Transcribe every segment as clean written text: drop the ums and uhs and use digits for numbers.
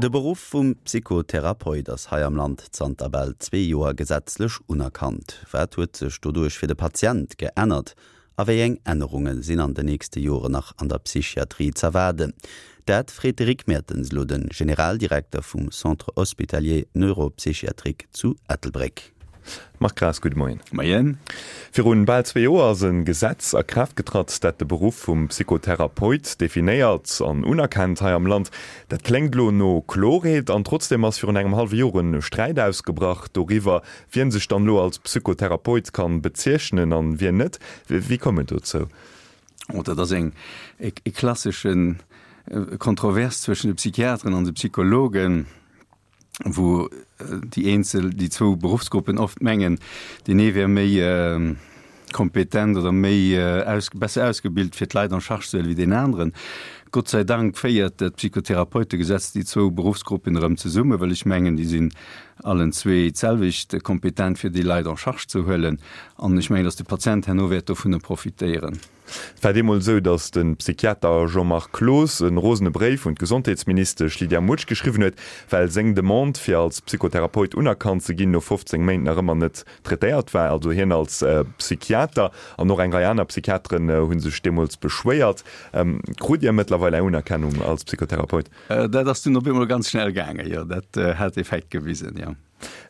De Beruff vum Psychotherapeut ass hei am Land zanter bal zwee Joer gesetzlech unerkannt. Wat huet sech doduerch fir de Patient geännert a wéi eng Ännerunge sinn an de nächste Joren nach an der Psychiatrie z'erwaarden? Dat freet de Rick Mertens elo de Generaldirekter vum Centre Hospitalier Neuropsychiatrique zu Ettelbréck. Marc Graas, gudde Moien. Moien. Virun bal zwee Joer ass e Gesetz a Kraaft getratt, dat de Beruff vum Psychotherapeut definéiert an unerkennt hei am Land. Dat kléngt elo no Klorheet an trotzdeem ass virun engem hallwe Joer e Sträit ausgebrach doriwwer, wien sech dann elo als Psychotherapeut kann bezeechnen an wien net. Wéi koum et dozou? Oh, dat ass eng e klassesche Kontrovers zwëschen de Psychiateren an de Psychologen. wou déi eenzel, déi zwou Beruffsgruppen oft mengen, deen ee wär méi kompetent oder méi aus, besser ausgebilt fir d'Leit en charge ze huelen wéi deen aneren. Gott sei Dank féiert dat Psychotherapeutegesetz déi zwou Beruffsgruppen erëm zesummen, well ech mengen, déi sinn allen zwee d'selwecht kompetent fir déi Leit en charge ze huelen. An ech mengen, datt de Patient herno wäert dovunner profitéieren. Et war deemools esou, datt de Psychiater Jean-Marc Cloos e rosene Bréif un d'Gesondheetsministesch Lydia Mutsch geschriwwen huet, well seng Demande, fir als Psychotherapeut unerkannt ze ginn, no 15 Méint nach ëmmer net traitéiert war. Also hien als Psychiater an och eng Rei aner Psychiateren hu sech deemools beschwéiert. Krut Dir mëttlerweil Är Unerkennung als Psychotherapeut? Dat ass dunn op eemol ganz schnell gaangen, jo. Dat hat Effekt gewisen, jo.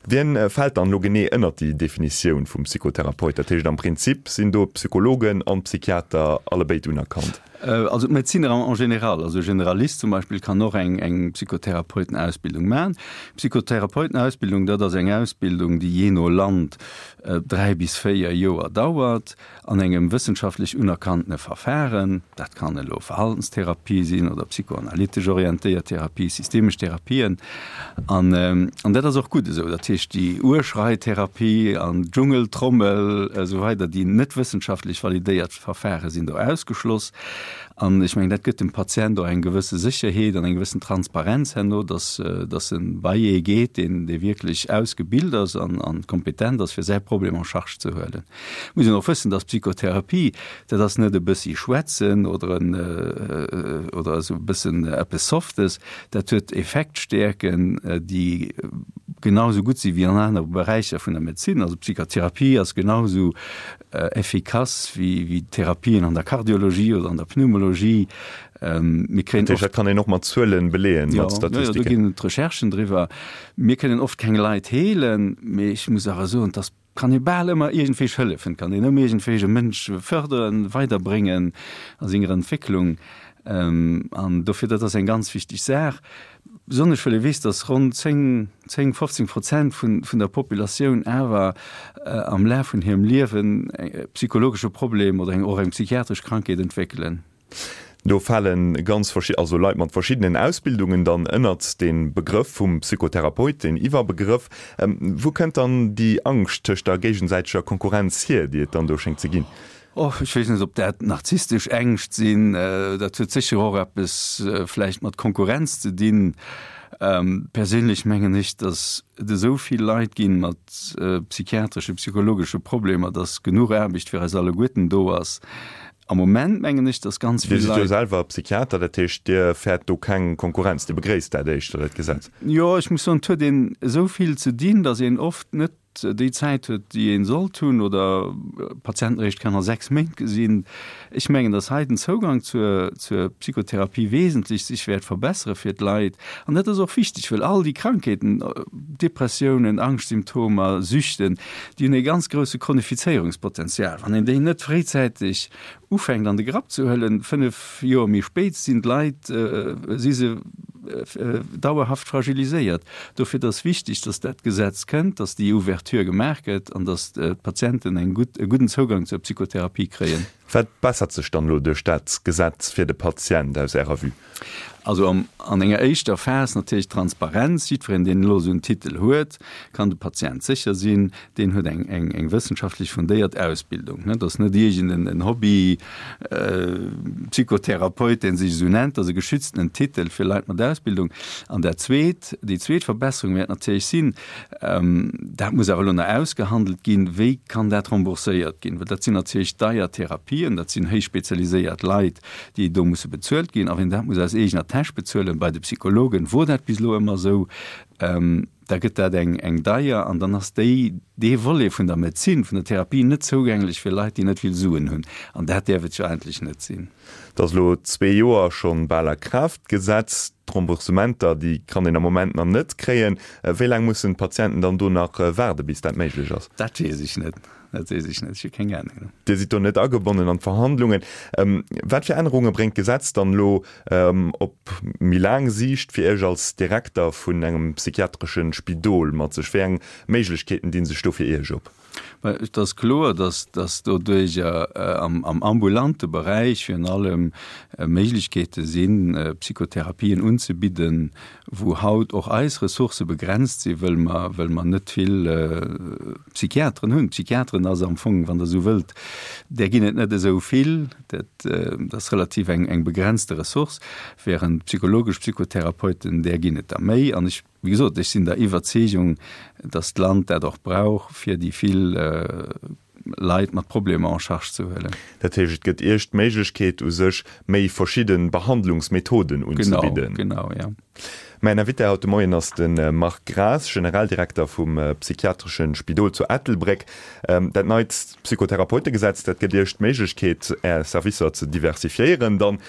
Wien fält dann elo genee ënnert déi Definitioun vum Psychotherapeut? Dat heescht am Prinzip sinn do d'Psychologen an d'Psychiater allebéid unerkannt? Also d'Medezinner en général, also e Generalist zum Beispill kann och eng eng Psychotherapeutenausbildung maachen. Psychotherapeutenausbildung, dat ass eng Ausbildung, déi jee no Land 3 bis 4 Joer dauert. An engem wëssenschaftlech unerkanntene Verfahren, dat kann elo Verhaltenstherapie sinn oder psychoanalytesch orientéiert Therapie, systemesch Therapien, an an dat ass och gutt esou. Dat heescht, déi Urschreitherapie an d'Dschungeltrommel esou weider, déi net wëssenschaftlech validéiert Verfahre sinn do ausgeschloss. An ech mengen, dat gëtt dem Patient och eng gewësse Sécherheet an eng gewëssen Transparenz herno, dass dass en bei ee geet, deen dee wierklech ausgebilt ass an an kompetent ass, fir säi Problem en charge ze huelen. Muss een och wëssen, dass Psychotherapie, dat ass net e bëssi schwätzen oder en oder esou e bëssen eppes Softes, dat huet Effektstäerken, déi genau esou gutt si wéi an anere Beräicher vun der Medezin. Also Psychotherapie ass genau esou effikass wéi wéi Therapien an der Kardiologie oder an der Pneumologie. Mir kréien oft. Dat kann een och mat Zuelen beleeën, mat Statistiken. Jo, do ginn et Recherchen driwwer. Mir kënnen oft keng Leit heelen, mee ech muss awer soen, dass Kann ee bal ëmmer iergendwéi hëllefen, kann een ëmmer iergendwéi e Mënsch fërderen, weiderbréngen a senger Entwécklung. An dofir, dat ass eng ganz wichteg Saach, besonnesch well ee weess, datt ronn 10, 10, 15 Prozent vun, vun der Populatioun awer am Laf vun hirem Liewen e psychologesche Problem oder eng, och eng psychiatresch Krankheet entwéckelen. Do fale ganz verschidden, also Leit mat verschiddenen Ausbildungen dann ënnert dee Begrëff vum Psychotherapeut, deen Iwwerbegrëff. Wou kënnt dann déi Angscht tëscht der géigesäiteger Konkurrenz hier, déi et dann do schéngt ze ginn? Och ech weess net, ob dat narzisstesch Ängscht sinn. Dat huet sécher och eppes vläicht mat Konkurrenz ze dinn. Perséinlech mengen ech, datt et esou vill Leit ginn mat psychiatresche, psychologesche Problemer, datt genuch Aarbecht fir eis alleguerten do ass. Am Moment mengen ech, dass ganz vill Leit. Dir sidd jo selwer Psychiater, dat heescht, Dir fäert do keng Konkurrenz, Dir begréisst dat éischter, dat Gesetz? Jo, ech muss soen, et huet een esou vill ze dinn, dass een oft net déi Zäit huet, déi ee sollt hunn oder Patienten eréischt kann a 6 Méint gesinn. Ech mengen, dass hei den Zougang zur zur Psychotherapie wesentlech sech wäert verbessere fir d'Leit. An dat ass och wichteg, well all déi Krankheeten, Depressiounen, Angschtsymptomer, Süchten, Déi hunn e ganz grousse Chronifizéierungspotenzial. Wann een déi net fréizäiteg ufänkt an de Grapp ze huelen, 5 Joer méi spéit sinn d'Leit, si se dauerhaft fragiliséiert. Dofir et ass wichteg, datt dat Gesetz kënnt, datt déi Ouverture gemaach gëtt an datt d'Patienten eng gutt, e gudden Zougang zur Psychotherapie kréien. Wat bessert sech dann elo duerch dat Gesetz fir de Patient aus Ärer Vue? Also an enger éischter Phas natierlech d'Transparenz. Jiddwereen, deen elo esou en Titel huet, kann de Patient sécher sinn, deen huet eng, eng, eng wëssenschaftlech fundéiert Ausbildung. Dat ass net iergend en Hobby-Psychotherapeut, dee sech esou nennt. Dat ass e geschütztenen Titel fir Leit mat Ausbildung. An dat Zweet, déi zweet Verbesserung wäert natierlech sinn, dat muss awer elo nach ausgehandelt ginn, wéi kann dat rembourséiert ginn, well dat sinn natierlech deier Therapien. Therapien, dat sinn héich spezialiséiert Leit, déi do musse bezuelt ginn. A wien dat muss aus eegener Täsch bezuelen, bei de Psychologen wor dat bis elo ëmmer esou, da gëtt dat eng eng deier an dann ass déi, dee Volet vun der Medezin, vun der Therapie net zougänglech fir Leit, déi net vill Suen hunn. An dat däerf et jo eigentlech net sinn. Et ass elo zwee Joer schonn bal a Kraaft gesetzt. D'Remboursementer, déi kann een am Moment nach net kréien. Wéi laang mussen d'Patienten dann do nach waarde bis dat méiglech ass? Dat weess ech net. Dat weess ech net. Ech hu keng Ahnung. Dir sidd do net agebonnen an d'Verhandlungen. Wat fir Ännerunge bréngt d'Gesetz dann elo op méi laang Siicht fir Iech als Direkter vun engem psychiatreschen Spidol mat sech? Wéi eng Méiglechkeeten dinn sech do fir Iech op? Mä et ass kloer, dass dass doduerjer am ambulante Beräich virun allem Méiglechkeete sinn, Psychotherapien unzebidden, wou haut och eis Ressourcë begrenzt sinn, wëll mer, wëll mer net vill Psychiateren hunn. Psychiateren ass am Fong, wann Der esou wëllt, där ginn et net esou vill, dat ass relativ eng, eng begrenzte Ressource, während psychologesch Psychotherapeuten, där ginn et der méi. An ech, wéi gesot, ech sinn der Iwwerzeegung, datt d'Land dat och brauch, fir déi vill Leit mat Problemer en charge ze huelen. Dat heescht, et gëtt Iech d'Méiglechkeet u sech, méi verschidde Behandlungsmethoden unzebidden. Genau, genau, ja. Mäin Invité haut de Moien ass de Marc Graas, Generaldirekter vum psychiatresche Spidol zu Ettelbréck. Dat neit Psychotherapeutegesetz, dat gëtt Iech d'Méiglechkeet, Är Servicer ze diversifiéieren. Dann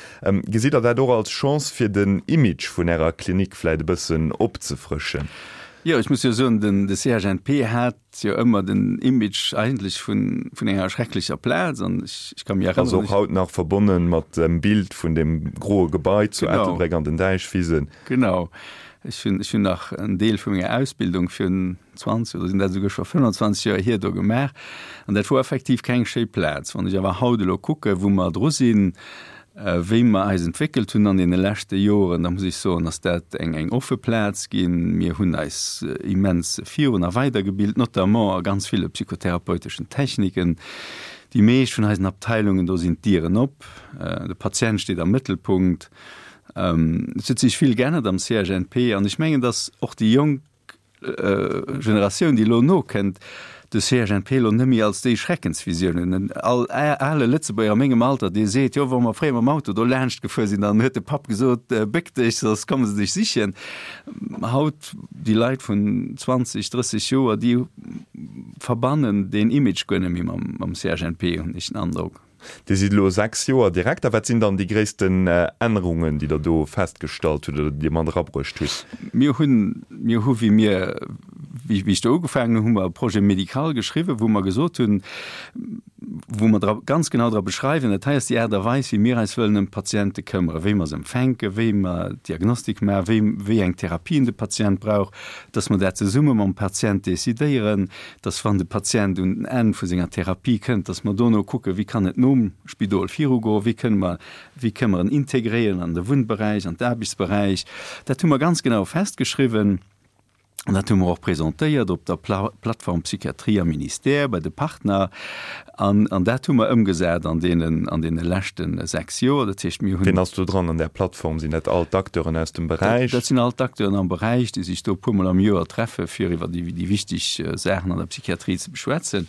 gesitt Der dat och als Chance, fir den Image vun Ärer Klinik vläit e bëssen opzefrëschen? Jo, ech muss jo soen, den de CHNP hat jo ëmmer den Image eigentlech vun, vun enger schrecklecher Plaz an ech, ech ka mir erënneren. Ass och haut nach verbonnen mat dem Bild vun dem groe Gebai zu Ettelbréck an den Däichwisen. Genau. Ech hunn, ech hunn nach en Deel vu menger Ausbildung virun 20 oder sinn dat esouguer scho 25 Joer hier do gemaach an dat wor effektiv keng schéi Plaz. Wann ech awer haut elo kucke wou mer dru sinn, Wéi mer eis entwéckelt hunn an deene leschte Joren, da muss ech soen, ass dat eng eng offe Plaz ginn. Mir hunn eis immens virun a weidergebilt, notamment a ganz ville psychotherapeuteschen Techniken. Déi meescht vun eisen Abteilungen, do sinn d'Dieren op, de Patient steet am Mëttelpunkt. Et huet sech vill geännert am CHNP an ech mengen, dass och déi Jonk, Generatioun, déi elo nokënnt, de CHNP elo net méi als déi Schreckensvisioun hunn. En all ale Lëtzebuerger a mengem Alter, dee seet, jo, wa mer fréier mam Auto do laanscht gefuer sinn, dann huet de Papp gesot, béck dech, soss komme se dech sichen. Haut, déi Leit vun 20, 30 Joer, déi verbannen deen Image guer net méi mam CHNP, hunn ech den Androck. Dir sidd elo 6 Joer Direkter. Wat sinn dann déi gréissten Ännerungen, déi Der do festgestallt hutt oder déi Dir mat erabruecht hutt? Mir hunn, mir hu wéi mir, wéi ech do ugefaangen hunn, hu mer e Projet médical geschriwwen, wou mer gesot hunn, wou mer dra ganz genau dra beschreiwen, dat hei ass déi Aart a Weis, wéi mir eis wëllen ëm d'Patiente këmmere, wéi mer se empfänken, wéi mer d'Diagnostik maachen, wéi, wéi eng Therapien de Patient brauch, dass mer dat zesumme mam Patient decidéieren, dass wann de Patient un den Enn vu senger Therapie kënnt, dass mer dono kucken, wéi kann et nom Spidol virugoen, wéi kënne mer, wéi kënne mer en integréieren an de Wunnberäich, an d'Aarbechtsberäich. Dat hu mer ganz genau festgeschriwwen an dat hu mer och presentéiert op der Plattform Psychiatrie am Ministère bei de Partner. An, an dat hu mer ëmgesat an deenen, an deene leschte 6 Joer. Dat heescht, mir hunn. Wien ass do dran an där Plattform? Sinn dat all d'Acteuren aus dem Beräich? Dat sinn all d'Acteuren am Beräich, déi sech do e puermol am Joer treffe fir iwwer déi, déi wichteg Saachen an der Psychiatrie ze beschwätzen.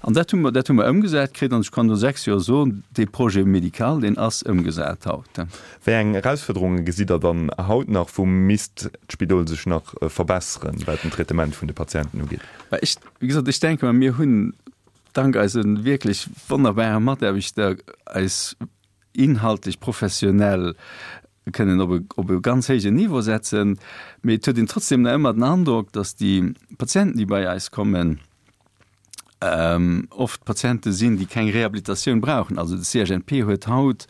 An dat hu mer, dat hu mer ëmgesat kritt. An ech kann no 6 Joer soen, dee Projet médical, deen ass ëmgesat haut. Wéi eng Erausfuerderunge gesitt Der dann haut nach? Wou misst d'Spidol sech nach verbesseren, wat den Traitement vun de Patienten ugeet? Ech, wéi gesot, ech denke mer, mir hunn dank eise wierklech wonnerbare Mataarbechter eis inhaltlech professionell kënnen op e, op e ganz héijen Niveau setzen. Mee et huet een trotzdem nach ëmmer den Androck, datt déi Patienten, déi bei eis kommen, oft Patiente sinn, déi keng Rehabilitatioun brauchen. Also de CHNP huet haut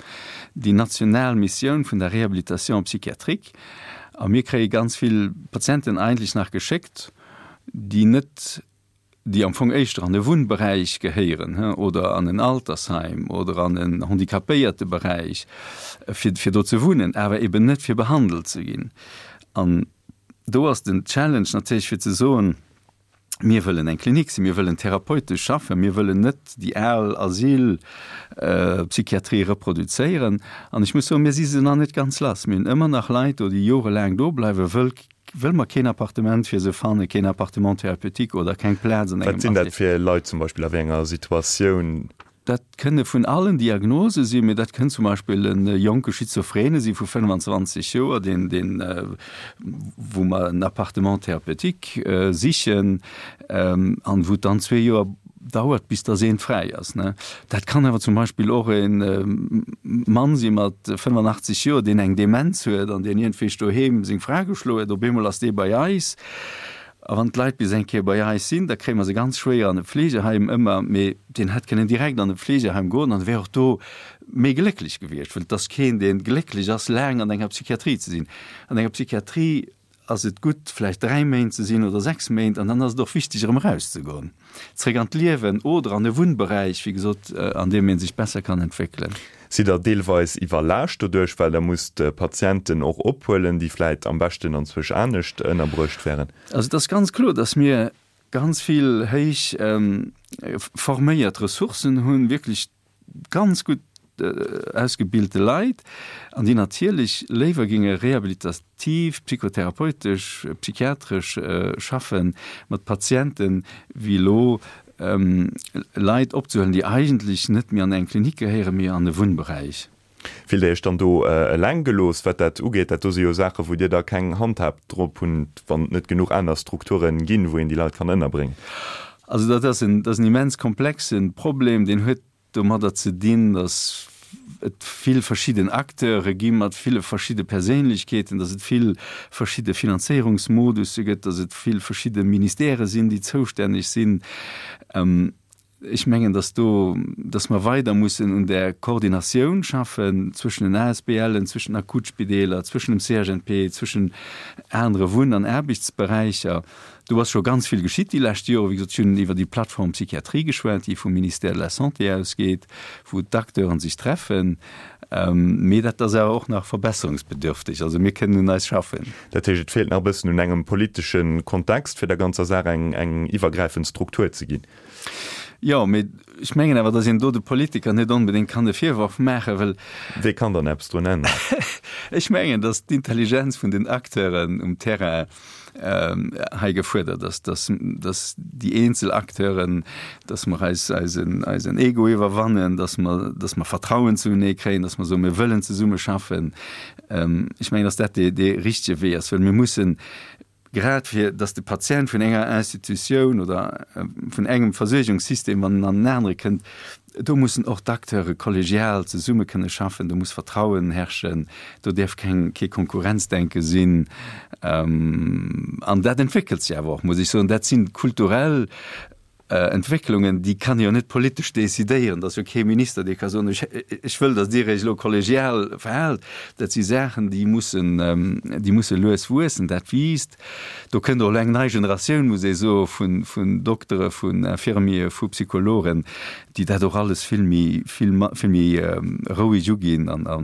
déi national Missioun vun der Réhabilitation psychiatrique a mir kréie ganz vill Patienten eigentlech nach geschéckt, déi net, déi am Fong éischter an e Wunnberäich gehéieren oder an en Altersheim oder an en Handicapéierteberäich, fir, fir do ze wunnen, awer eben net fir behandelt ze ginn. An do ass den Challenge natierlech fir ze soen, Mir wëllen eng Klinik sinn, mir wëllen therapeutesch schaffen, mir wëllen net déi al Asylpsychiatrie reproduzéieren. An ech muss soen, mir si se nach net ganz lass. Mir hunn ëmmer nach Leit do, déi jorelaang do bleiwen, wëll wëll mer keen Appartement fir se fannen, keen Appartement thérapeutique oder keng Plaz an engem Wat sinn dat fir Leit zum Beispill, a wéi enger Situatioun? Dat kënne vun allen Diagnose sinn, mee dat kënnt zum Beispill e jonke Schizophrene si vu 25 Joer, deen, deen, wou mer en Appartement thérapeutique sichen an wou et dann zwee Joer dauert, bis dass eent fräi ass. Dat kann awer zum Beispill och e Mann si mat 85 Joer, deen eng Demenz huet an deen iergendwéi doheem seng Fra geschloen huet. Op eemol ass dee bei eis. A wann d'Leit bis eng Kéier bei eis sinn, da kréie mer se ganz schwéier an e Pflegeheim ëmmer, mee deen hätt kënnen direkt an e Pflegeheim goen an wär och do méi glécklech gewiescht, well et ass keen, dee glécklech ass, laang an enger Psychiatrie ze sinn. An enger Psychiatrie ass et gutt, vläicht 3 Méint ze sinn oder 6 Méint, an dann ass et och wichteg, erëm erauszegoen, zréck an d'Liewen oder an e Wunnberäich, wéi gesot, an deem ee sech besser kann entwéckelen. Sidd Der deelweis iwwerlaascht doduerch, well Der musst Patienten och ophuelen, déi vläit am beschten anzwousch anescht ënnerbruecht wären? Also et ass ganz kloer, dass mir ganz vill héich forméiert Ressourcen hunn, wierklech ganz gutt ausgebilte Leit, an déi natierlech léiwer géinge rehabilitativ, psychotherapeutesch, psychiatresch schaffe mat Patienten, wéi elo Leit opzehuelen, déi eigentlech net méi an eng Klinik gehéieren, mee an e Wunnberäich. Fillt Dir Iech dann do eleng gelooss, wat dat ugeet? Dat do si jo Saachen, wou Dir da keng Handhab drop hunn, wann et net genuch aner Strukture ginn, wou een déi Leit kann ënnerbréngen. Also dat ass en, dat ass en immens komplexe Problem. Deen huet domadder ze dinn, datt et vill verschidden Acteure gi mat ville verschidde Perséinlechkeeten, datt et vill verschidde Finanzéierungsmodusse gëtt, datt et vill verschidde Ministèrë sinn, déi zoustänneg sinn. Ech mengen, datt do, datt mer weider mussen un där Koordinatioun schaffen zwëschen den ASBLen, zwëschen den Akutspideeler, zwëschen dem CHNP, zwëschen anere Wunn an Aarbechtsberäicher. Do ass scho ganz vill geschitt déi lescht Joren. Wéi gesot, ech hunn iwwer déi Plateforme Psychiatrie geschwat, déi vum Ministère de la Santé ausgeet, wou d'Acteuren sech treffen. Mee dat ass awer och nach verbesserungsbedürftig. Also mir kënnen un eis schaffen. Dat heescht, et feelt nach e bëssen un engem politesche Kontext, fir der ganzer Saach eng eng iwwergräifend Struktur ze ginn. Jo, mee ech mengen awer, datt een do de Politiker net onbedéngt kann e Virworf maachen, well. Wee kann dann eppes drun änneren? Ech mengen, datt d'Intelligenz vun den Acteuren um Terrain hei gefuerdert ass, dass, dass déi eenzel Acteuren, dass mer eis eisen, eisen Ego iwwerwannen, dass mer, dass mer Vertrauen zunee kréien, dass mer soen, mir wëllen zesumme schaffen. Ech mengen, dass dat dee, dee richtege Wee ass, well mir mussen, grad fir dass de Patient vun enger Institutioun oder vun engem Versuergungssystem an en anere kënnt, Do mussen och d'Acteure kollegial zesumme kënne schaffen, do muss Vertrauen herrschen, do däerf keng, kee Konkurrenzdenke sinn. An dat entwéckelt sech awer och, muss ech soen. Dat si kulturell Entwécklungen, déi kann ee jo net politesch decidéieren. Et ass jo kee Minister, dee ka soen, ech, ech wëll, datt Dir Iech elo kollegial verhaalt. Dat si Saachen, déi mussen, déi musse lues wuessen. Dat wiisst. Do kënnt och elo eng nei Generatioun, muss ee soen, vun, vun Doktere, vun Infirmiere, vu Psychologen, déi dat och alles vill méi, vill, vill méi roueg uginn an, a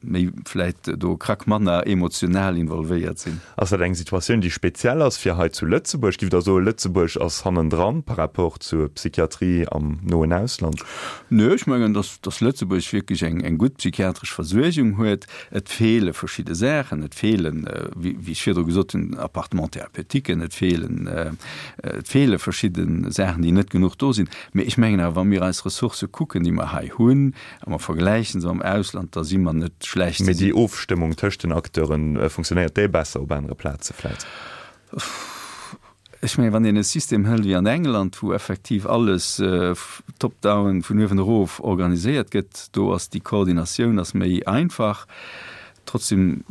méi vläicht do krack manner emotional involvéiert sinn. Ass dat eng Situatioun, déi speziell ass fir hei zu Lëtzebuerg? Giff Der soen, Lëtzebuerg ass hannendran par rapport zur Psychiatrie am noen Ausland? Nö, ech mengen, dass, dass Lëtzebuerg wierklech eng, eng gutt psychiatresch Versuergung huet. Et feele verschidde Saachen, et feelen, wéi ech virdru gesot hunn, Appartement-thérapeutiquen, et feelen, et feele verschidde Saachen, déi net genuch do sinn. Mee ech mengen awer, wa mir eis Ressourcë kucken, déi mer hei hunn, a mer vergläiche se mam Ausland, da si mer net schlecht. Mee déi Ofstëmmung tëscht den Acteuren, funktionéiert déi besser op anere Plaze vläit? Ech mengen, wann een e System hëlt wéi an England, wou effektiv alles top-down, vun uewen erof organiséiert gëtt, do ass déi Koordinatioun ass méi einfach. Trotzdem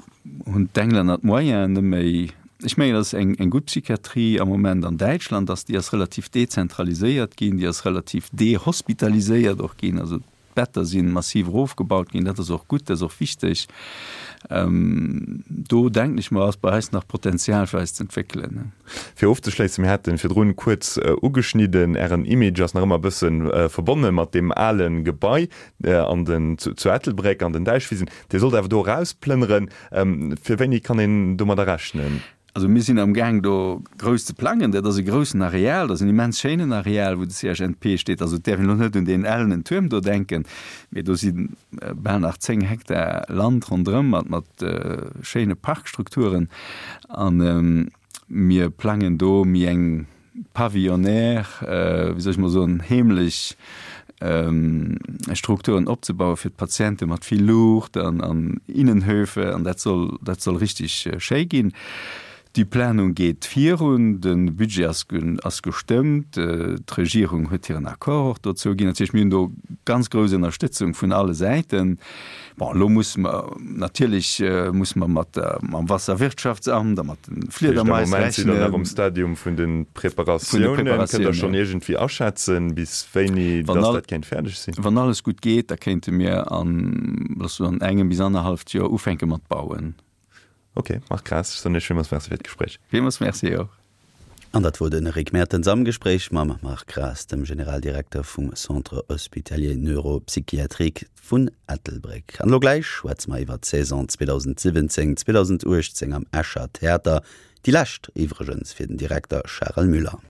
hunn d'Englänner d'Moyenen net méi. Ech mengen, datt eng eng gutt Psychiatrie am Moment an Däitschland ass, déi ass relativ dezentraliséiert ginn, déi ass relativ dehospitaliséiert och ginn. Also D'Better si massiv erofgebaut ginn. Dat ass och gutt, dat ass och wichteg. Do denken ech mer, ass bei eis nach Potenzial fir eis ze entwéckelen. Fir ofzeschléissen, mir haten virdrun kuerz ugeschnidden, Ären Image ass nach ëmmer e bësse verbonne mat deem ale Gebai an den, zu Ettelbréck an den Däichwisen. Dir sollt awer do erausplënneren. Fir wéini kann een domadder rechnen? Also mir sinn am Gaang do grouss ze plangen. Dat ass e groussen Areal, dat ass en immens schéinen Areal, wou de CHNP steet. Also et däerf een elo net un deen ellenen Tuerm do denken, mee do si bal nach 10 Hektar Land ronderëm mat mat schéine Parkstrukturen. A mir plangen do méi eng pavillonnaire, wéi soll ech mol soen, heemlech. Strukturen opzebauen fir d'Patiente mat vill Luucht an an Innenhöfe an dat soll dat soll richtig schéi ginn. Déi Planung geet virun, de Budget ass ass gestëmmt, d'Regierung huet hiren Accord och dozou ginn. Dat heescht, mir hunn do ganz grouss Ënnerstëtzung vun alle Säiten. Bon, elo musse mer natierlech musse mer mat der, mam Wasserwirtschaftsamt a mat de Fliedermais rechnen. Am Moment sidd Der nach um Stadium vun de Preparatiounen. Kënnt Der schonn iergendwéi aschätzen, bis wéini dass dat kéint fäerdeg sinn? Wann alles gutt geet, da kéinte mir an, looss soen, engem bis annerhalleft Joer ufänke mat bauen. Ok, Marc Graas, ech soen Iech villmools Merci fir d'Gespréich. Villmools Merci och. An dat wor de Rick Mertens am Gespréich mam Marc Graas, dem Generaldirekter vum Centre Hospitalier Neuropsychiatrique vun Ettelbréck. An elo gläich schwätze mer iwwer d'Saison 2017, 2018 am Escher Theater, déi lescht iwwregens fir den Direkter Charel Müller.